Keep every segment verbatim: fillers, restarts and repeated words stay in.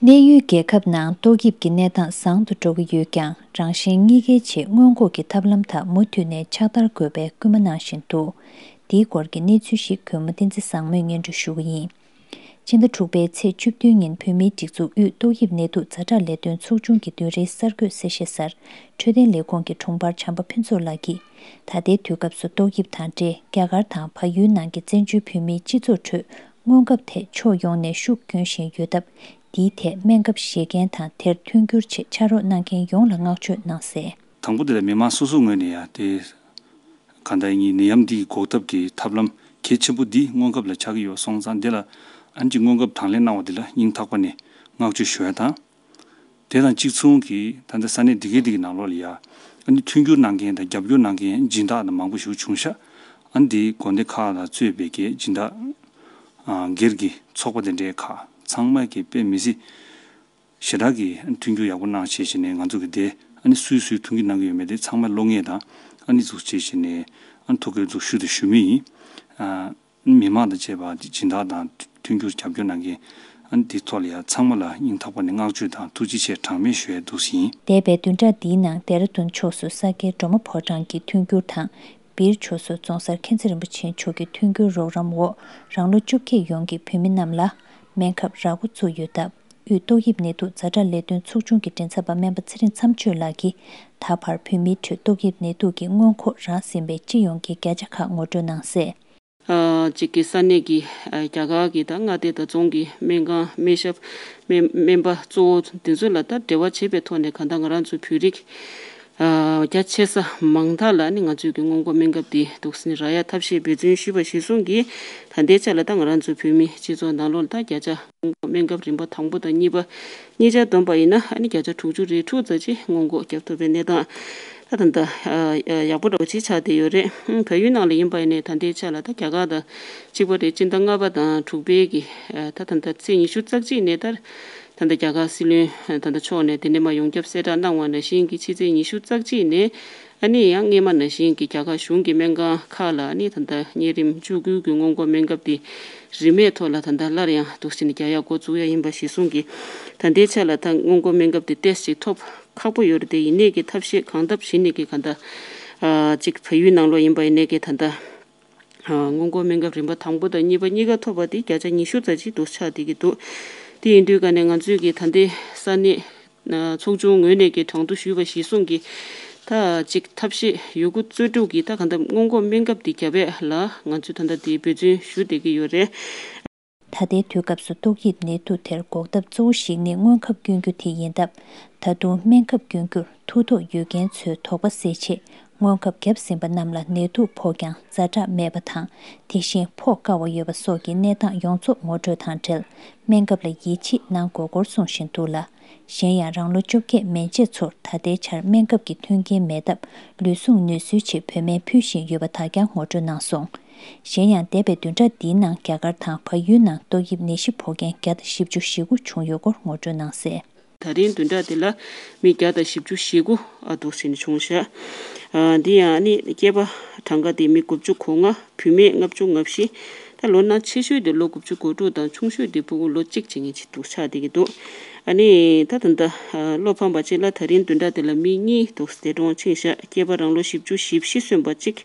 གནས་ཡུལ་རྒྱལ་ཁབ་ནང་ཏོག་དབྱིབས་ཀྱི་གནས་སྟངས་བཟང་དུ་འགྲོ་གི་ཡོད་ཀྱང་། རང་བཞིན་གཉིས་ཀའི་ཆེད་སྔོན་འགོག་གི་ཐབས་ལམ་དག་མུ་མཐུད་ནས་ཕྱག་བསྟར་དགོས་པའི་སྐུལ་མ་གནང་བཞིན་འདུག་འདིའི་སྐོར་གྱི་གནས་ཚུལ་ཞིག་གུས་མོ་བསྟན་འཛིན་བཟང་མོས་སྙན་སྒྲོན་ཞུ་གི་ཡིན། སྤྱི་ཟླ་དྲུག་པའི་ཚེས་བཅུ་བདུན་ཉིན་བོད་མིའི་སྒྲིག་འཛུགས་དབུས་ཏོག་དབྱིབས་ནད་དུག་ཛ་དྲག་ལས་དོན་ཚོགས་ཆུང་གི་བདུན་རེའི་གསར་འགོད་གསལ་བཤད་གསར། འཕྲོད་བསྟེན་ལས་ཁུངས་ཀྱི་དྲུང་འཕར་བྱམས་པ་ཕུན་ཚོགས་ལགས་ཀྱིས། ད་ལྟའི་དུས་སྐབས་སུ་ཏོག་དབྱིབས་དང་འབྲེལ་རྒྱ་གར་དང་བལ་ཡུལ་ནང་གི་བཙན་བྱོལ་བོད་མིའི་སྤྱི་ཚོགས་ཁྲོད་སྔོན་ཁབ་ཐད་ཕྱོགས་ཡོངས་ནས་ཤུགས་སྐྱོན་བཞིན་ཡོད་སྟབས། འདིའི་ཐད་སྨན་ཁབ་བཞེས་མཁན་དང་དེར་མཐུན་འགྱུར་ཆེད་ཕྱག་རོགས་གནང་མཁན་ཡོངས་ལ་བསྔགས་བརྗོད་གནང་གསལ། དང་པོ་དེ་ལ་མི་མང་སོ་སོའི་ངོས་ནས་ཡང་དེ། གང་ལྟར་ཡིན་ནད་ཡམས་འདི་ཡི་འགོག་ཐབས་ཀྱི་ཐབས་ལམ་གལ་ཆེན་པོ་འདི་སྔོན་ཁབ་ལ་ཆགས་ཀྱི་ཡོད་སོང་ཙང་། འདི་ལ་ཨ་ནི་ཅིག་སྔོན་ཁབ་དང་ལེན་གནང་བ་འདི་ལ་སྙིང་ཐག་པ་ནས་བསྔགས་བརྗོད་ཞུ་ཡ་དང་། དེ་དང་གཅིག་མཚུངས་ཀྱིས་ད་ལྟ་ས་གནས་འདི་གའི་འདི་གི་ནང་ལོགས་ལ་ཡ་ཨ་ནི་མཐུན་འགྱུར་གནང་མཁན་དང་རྒྱབ་སྐྱོར་གནང་མཁན་སྦྱིན་བདག་དང་མང་པོ་ཞིག་བྱུང་ཤག་ཨ་ནི་འདི་དགོན་སྡེ་ཁག་ལ་གཙོས་པའི་གི་སྦྱིན་བདག་སྒེར་གྱི་ཚོགས་པ་དེ་འདྲའི་ཁག་ཚང་མ་གི་དཔེ་མི་སྲིད། ཞེ་དྲག་གི་མཐུན་འགྱུར་ཡག་པོ་གནང་བྱས་བྱས་ནས། ང་ཚོ་གི་དེ་ཨ་ནི་སུས་སུས་མཐུན་འགྱུར་གནང་གི་ཡོད་མེད་དེ་ཚང་མ་བློ་ངེས་དང་། ཨ་ནི་འཛུགས་བྱས་བྱས་ནས་ཨ་ནི་ཐུགས་ཁུར་འཛུགས་ཞུ་དང་ཞུ་མུས་ཡིན། ཨ་ནི་མི་མང་དང་བཅས་པ་སྦྱིན་བདག་དང་མཐུན་འགྱུར་རྒྱབ་སྐྱོར་གནང་མཁན་ཨ་ནི་དེ་ཐོག་ལ་ཡ་ཚང་མ་ལ་སྙིང་ཐག་པ་ནས་བསྔགས་བརྗོད་དང་ཐུགས་རྗེ་ཆེ་གྲངས་མེད་ཞུ་ཡ་འདུག་ཟིན། འདས་པའི་བདུན་ཕྲག་འདིའི་ནང་ལྡེ་ར་ལྡུན་ཕྱོགས་སུ་ས་སྐྱའི་སྒྲོལ་མ་ཕོ་བྲང་གི་མཐུན་འགྱུར་དང་། སྦིར་ཕྱོགས་སུ་རྫོང་སར་མཁྱེན་བརྩེ་རིན་པོ་ཆེ་མཆོག་གི་མཐུན་འགྱུར་རོགས་རམ་འོག་རང་ལོ་བཅོ་བརྒྱད་ཡོངས་ཀྱི་བོད་མི་རྣམས་ལ་སྨན་ཁབ་རག་མགོ་བཙུགས་ཡོད་སྟབས། དབུས་ཏོག་དབྱིབས་ནད་དུག་ཛ་དྲག་ལས་དོན་ཚོགས་ཆུང་གི་མགྲིན་ཚབ་པ་སྨན་པ་ཚེ་རིང་མཚམས་གཅོད་ལགས་ཀྱིས། ད་བར་བོད་མིའི་ཁྲོད་ཏོག་དབྱིབས་ནད་དུག་གི་སྔོན་འགོག་རག་ཟིན་པའི་སྤྱི་ཡོངས་ཀྱི་བརྒྱ་ཆ་ཁག་ངོ་སྤྲོད་གནང་གསལ། ཨ་གཅིག་གི་ས་གནས་ཀྱི་ཨ་རྒྱ་གར་གྱི་ད་མངའ་སྡེ་དང་རྫོང་གི་སྨན་ཁང་སྨན་ཞབས་སྨན་སྨན་པ་གཙོ་བོ་འདི་ཚོ་ལ་ད་འབྲེལ་བ་བྱེད་པའི་ཐོག་ནས། གང་ལྟར་ང་རང་ཚོའི་བོད་རིགས་ཨ་རྒྱ་ཆེ་ས་མང་དག་ལ་ནི་ང་ཚོའི་གི་སྔོན་འགོག་སྨན་ཁབ་འདི་འདུག་སེ་རག་ཡ་ཐབས་ཤེས་འབད་བརྩོན་ཞུས་པ་གཞིར་བཟུང་གིས། ད་ལྟའི་ཆ་ལ་ད་ང་རང་ཚོའི་བོད་མི་སྤྱི་ཚོགས་ནང་ལོགས་ལ་ད་བརྒྱ་ཆ་སྔོན་འགོག་སྨན་ཁབ་རིམ་པ་དང་པོ་དང་གཉིས་པ་གཉིས་ཆ་བསྡོམས་པ་ཡིན་ན། ཨ་ནི་བརྒྱ་ཆ་དྲུག་ཅུ་རེ་དྲུག་ཙམ་ཅིག་སྔོན་འགོག་བརྒྱབ་ཐུབ་པའི་གནས་སྟངས་ད་ད་ལྟ་ཨ་ཡག་པོ་འདྲ་བོ་ཅིག་ཆགས་བསྡད་ཡོད་རེད། ཨང་། བལ་ཡུལ་ནང་ལ་ཡིན་པ་ཡིན་ནའི་ད་ལྟའི་ཆ་ལ་ད་རྒྱ་གར་དང་གཅིག་པ་རེད། སྤྱི་ཟླ་ལྔ་པ་དང་དྲུག་པའི་གི་ཨ་ད་ད་ལྟ་ཚེས་ཉི་ཤུ་རྩ་གཅིག་ནས་ད་ད་ལྟ་རྒྱ་གར་སྲིད་བློན་ད་ལྟ་མཆོག་ནས་དེ་ནས་མར་ཡོངས་ཁྱབ་གསལ་བསྒྲགས་གནང་བ་ནང་བཞིན་གྱི་ཕྱི་ཚེས་ཉི་ཤུ་རྩ་གཅིག་ནས། ཨ་ནི་ཡང་སྔས་མ་ནང་བཞིན་གྱི་རྒྱ་གར་གཞུང་གི་སྨན་ཁང་ཁག་ལ་ཨ་ནི་ད་ལྟ་གཉན་རིམས་བཅུ་དགུ་གི་སྔོན་འགོག་སྨན་ཁབ་དེ་རིན་མེད་ཐོག་ལ་ད་ལྟ་སླར་ཡང་འདུག་སེ་ནས་རྒྱག་ཡག་འགོ་འཛུགས་ཡ་ཡིན་པ་གཞིར་བཟུང་གིས། ད་ལྟའི་ཆ་ལ་ད་སྔོན་འགོག་སྨན་ཁབ་དེ་ཏོག་ཙམ་ཅིག་ཐོབ་ཁག་པོ་ཡོད་རེད་དེ། ཡིན་ནའི་གི་ཐབས་ཤེས་གང་ཐབས་བྱས་ནས་གི་གང་ལྟར་ཨ་ཅིག་བལ་ཡུལ་ནང་ལོགས་ཡིན་པ་ཡིན་ནའི་གི་ད་ལྟ་ཨ་སྔོན་འགོག་སྨན་ཁབ་རིམ་པ་དང་པོ་དང་གཉིས་པ་གཉིས་ཀ་ཐོབ་པ་དེ་བརྒྱ་ཆ་ཉི་ཤུ་ཙམ་ཅིག་འདུག་ཆགས་བསྡད་ཀྱི་འདུག་དེ་ཡིན་དུས་ཀ་ནས་ང་ཚོས་ཀྱི་ད་ལྟའི་ས་གནས་ཚོགས་ཆུང་ངོས་ནས་ཀྱི་གྲངས་ཐོ་ཞུས་པ་གཞིར་བཟུང་གིས། ད་ཅིག་ཐབས་ཤེས་ཡོད་རྒུ་རྩལ་སྤྲུགས་ཀྱིས་ད་གང་ལྟར་སྔོན་འགོག་སྨན་ཁབ་དེ་བརྒྱབ་ཡས་ལ་ང་ཚོས་ད་ལྟ་དེ་འབད་བརྩོན་ཞུ་བསྡད་ཀྱི་ཡོད་རེད། ད་ལྟའི་དུས་སྐབས་སུ་ཏོག་དབྱིབས་ནད་དུག་དེར་འགོག་ཐབས་གཙོ་བོ་ཞིག་ནི་སྔོན་ཁབ་སྐྱོན་རྒྱུ་དེ་ཡིན་སྟབས། ད་དུང་སྨན་ཁབ་སྐྱོན་རྒྱུར་ཐུགས་དོགས་ཡོད་མཁན་ཚོའི་དོགས་པ་སེལ་ཆེད། སྔོན་ཁབ་བརྒྱབ་ཟིན་པ་རྣམས་ལ་ནད་དུག་ཕོག་ཀྱང་ཛ་དྲག་མེད་པ་དང་། དེ་བཞིན་ཕོག་དཀའ་བ་ཡོད་པ་སོགས་ཀྱི་གནས་སྟངས་ཡོངས་རྫོགས་ངོ་སྤྲོད་དང་འབྲེལ། སྨན་ཁབ་ལ་ཡིད་ཆེས་གནང་དགོས་སྐོར་གསུང་བཞིན་འདུག་ལ། གཞན་ཡང་རང་ལོ་བཅོ་བརྒྱད་མན་ཆད་ཚོར་ད་ལྟའི་ཆར་སྨན་ཁབ་ཀྱི་མཐུན་རྐྱེན་མེད་སྟབས། ལུས་ཟུངས་ནུས་གསོའི་ཆེད་བོད་སྨན་ཕུལ་བཞིན་ཡོད་པ་དག་ཀྱང་ངོ་སྤྲོད་གནང་སོང་། གཞན་ཡང་འདས་པའི་བདུན་ཕྲག་འདིའི་ནང་རྒྱ་གར་དང་བལ་ཡུལ་ནང་ཏོག་དབྱིབས་ནད་གཞི་ཕོག་མཁན་བརྒྱ་དང་བཞི་བཅུ་ཞེ་དགུ་བྱུང་ཡོད་སྐོར་ངོ་སྤྲོད་གནང་གསལ། ད་རིང་བདུན་ཕྲག་འདི་ལ་མི་བརྒྱ་དང་བཞི་བཅུ་ཞེ་དགུ་ཨ་འདུག་སེ་ནས་བྱུང་ཤག་ཨ་འདི་ཡང་ཨ་ནི་སྐྱེས་པ་གྲངས་ཀ་དེ་མི་དགུ་བཅུ་གོ་ལྔ། བུད་མེད་ལྔ་བཅུ་ང་བཞི། ད་ལོ་ན་ཆེ་ཤོས་དེ་ལོ་དགུ་བཅུ་གོ་དྲུག་དང་། ཆུང་ཤོས་དེ་ཕྲུ་གུ་ལོ་གཅིག་བྱེད་མཁན་ཅིག་འདུག་ཆགས་བསྡད་ཀྱི་འདུག་ཨ་ནི་ད་ད་ལྟ་ཨ་བློ་ཕམ་པ་ཅིག་ལ་ད་རིང་བདུན་ཕྲག་དེ་ལ་མི་གཉིས་འདུག་འདས་གྲོངས་ཕྱིན་ཤག་སྐྱེས་པ་རང་ལོ་བཞི་བཅུ་ཞེ་བཞི་སོན་པ་གཅིག་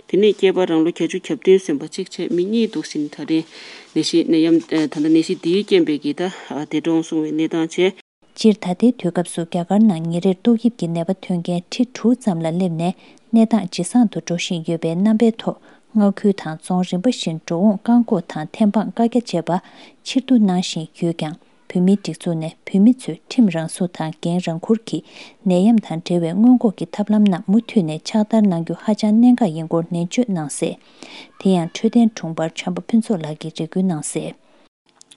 དེ་ནས་སྐྱེས་པ་རང་ལོ་བརྒྱད་ཅུ་གྱ་བདུན་སོན་པ་གཅིག་བྱས་མི་གཉིས་འདུག་སེ་ནས་ད་རིང་ནད་གཞི་ནད་ཡམས་ཨ་ད་ལྟ་ནད་གཞི་འདིའི་རྐྱེན་པས་ཀྱི་ད་ཨ་འདས་གྲོངས་སོང་བའི་གནས་སྟངས་བྱས། སྤྱིར་ད་ལྟའི་དུས་སྐབས་སུ་རྒྱ་གར་ནང་ཉིན་རེར་ཏོག་དབྱིབས་ཀྱི་ནད་པ་ཐོན་མཁན་ཁྲི་དྲུག་ཙམ་ལ་སླེབས་ནས་གནས་སྟངས་ཇེ་བཟང་དུ་འགྲོ་བཞིན་ཡོད་པའི་རྣམ་པའི་ཐོག་མངའ་ཁུལ་དང་རྫོང་རིམ་པ་བཞིན་འགྲོ་འོང་བཀག་འགོག་དང་ཐེམ་སྤང་བཀའ་རྒྱ་བཅས་པ་ཕྱིར་བསྡུ་གནང་བཞིན་ཡོད་ཀྱང་། བོད་མིའི་སྒྲིག་འཛུགས་ནས་བོད་མི་ཚོས་ཁྲིམས་རང་སྲུང་དང་འགན་རང་འཁུར་གྱིས་ནད་ཡམས་དང་འབྲེལ་བའི་སྔོན་འགོག་གི་ཐབས་ལམ་རྣམས་མུ་མཐུད་ནས་ཕྱག་བསྟར་གནང་རྒྱུ་ཧ་ཅང་གནད་འགག་ཡིན་སྐོར་ནན་བརྗོད་གནང་གསལ། དེ་ཡང་འཕྲོད་བསྟེན་དྲུང་འཕར་བྱམས་པ་ཕུན་ཚོགས་ལགས་ཀྱིས་རེ་སྐུལ་གནང་གསལ།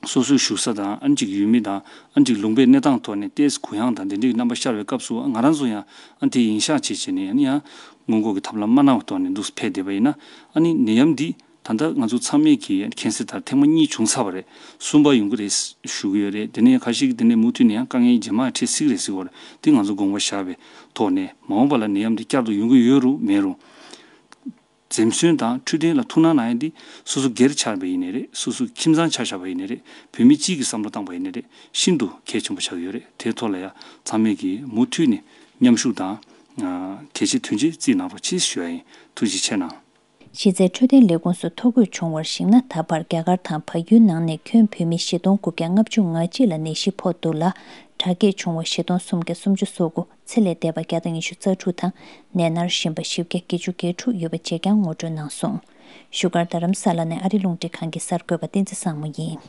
སོ་སོའི་བཞུགས་ས་དང་ཨ་ནི་ཅིག་ཡུལ་མི་དང་ཨ་ནི་ཅིག་ལུང་པའི་གནས་སྟངས་ཐོག་ནས་ཏོག་ཙམ་གུ་ཡངས་དང་དེ་འདྲའི་རྣམ་པ་ཤར་བའི་སྐབས་སུ། ང་རང་ཚོ་ཡང་ཨ་ནི་དེ་ཡིན་ཤག་བྱས་བྱས་ནས། ཨ་ནི་ཡང་སྔོན་འགོག་གི་ཐབས་ལམ་མ་གནང་བའི་ཐོག་ནས་འདུག་ཕེབས་བསྡད་པ་ཡིན་ན། ཨ་ནི་ནད་ཡམས་འདི་ད་ལྟ་ང་ཚོ་ཚང་མས་ཀྱིས་མཁྱེན་གསལ་ལྟར་ཐེངས་མ་གཉིས་བྱུང་ཚར་བ་རེད། གསུམ་པ་ཡོང་གི་རེད་ཞུ་གི་ཡོད་རེད། དེ་ནས་ཁ་ཤས་ཀྱིས་དེ་ནས་མུ་མཐུད་ནས་ཡང་དཀའ་ངལ་རྗེས་མ་འཕྲད་སྲིད་ཀྱི་རེད་ཟེར་གྱི་ཡོད་རེད། དེ་ང་ཚོ་དགོངས་པ་བཞག་པའི་ཐོག་ནས། མ་འོངས་པ་ལ་ནད་ཡམས་འདི་བསྐྱར་དུ་ཡོང་གི་ཡོད་རུང་མེད་རུང་། འཛེམ་ཟོན་དང་འཕྲོད་བསྟེན་ལ་ཐུགས་སྣང་གནང་ཡ་འདི་སོ་སོ་སྒེར་ཆགས་པ་ཡིན་ནའི་རེད། སོ་སོ་ཁྱིམ་ཚང་ཆ་བཞག་པ་ཡིན་ནའི་རེད། བོད་མི་སྤྱིའི་གི་བསམ་བློ་བཏང་པ་ཡིན་ནའི་རེད། ཤིན་ཏུ་གལ་ཆེན་པོ་ཆགས་ཀྱི་ཡོད་རེད། དེ་ཐོག་ལ་ཡ་ཚང་མས་ཀྱིས་མུ་མཐུད་ནས་མཉམ་ཞུགས་དང་། ཨ། གལ་ཆེ་དོན་ཆེ་བརྩིས་གནང་རོགས་གྱིས་ཞུ་ཡ་ཡིན། ཐུགས་རྗེ་ཆེ་གནང་། གཞི་རྩའི་འཕྲོད་བསྟེན་ལས་ཁུངས་སུ་ཐོ་འགོད་བྱུང་བར་གཞིགས་ན། ད་བར་རྒྱ་གར་དང་བལ་ཡུལ་ནང་ནས་ཁྱོན་བོད་མི་བཞི་སྟོང་དགུ་བརྒྱ་ལྔ་བཅུ་ང་གཅིག་ལ་ནད་གཞི་ཕོག་འདུག་ལ། དྲག་སྐྱེད་བྱུང་བ་བཞི་སྟོང་སུམ་བརྒྱ་སུམ་ཅུ་སོ་དགུ། ཚེ་ལས་འདས་པ་བརྒྱ་དང་ཉི་ཤུ་རྩ་དྲུག་དང་། ནད་མནར་བཞིན་པ་བཞི་བརྒྱ་བརྒྱད་ཅུ་གྱ་དྲུག་ཡོད་པ་བཅས་ཀྱང་ངོ་སྤྲོད་གནང་སོང་། བཞུགས་སྒར་རྡ་རམ་ས་ལ་ནས་ཨ་རི་རླུང་འཕྲིན་ཁང་གི་གསར་འགོད་པ་བསྟན་འཛིན་བཟང་མོ་ཡིན།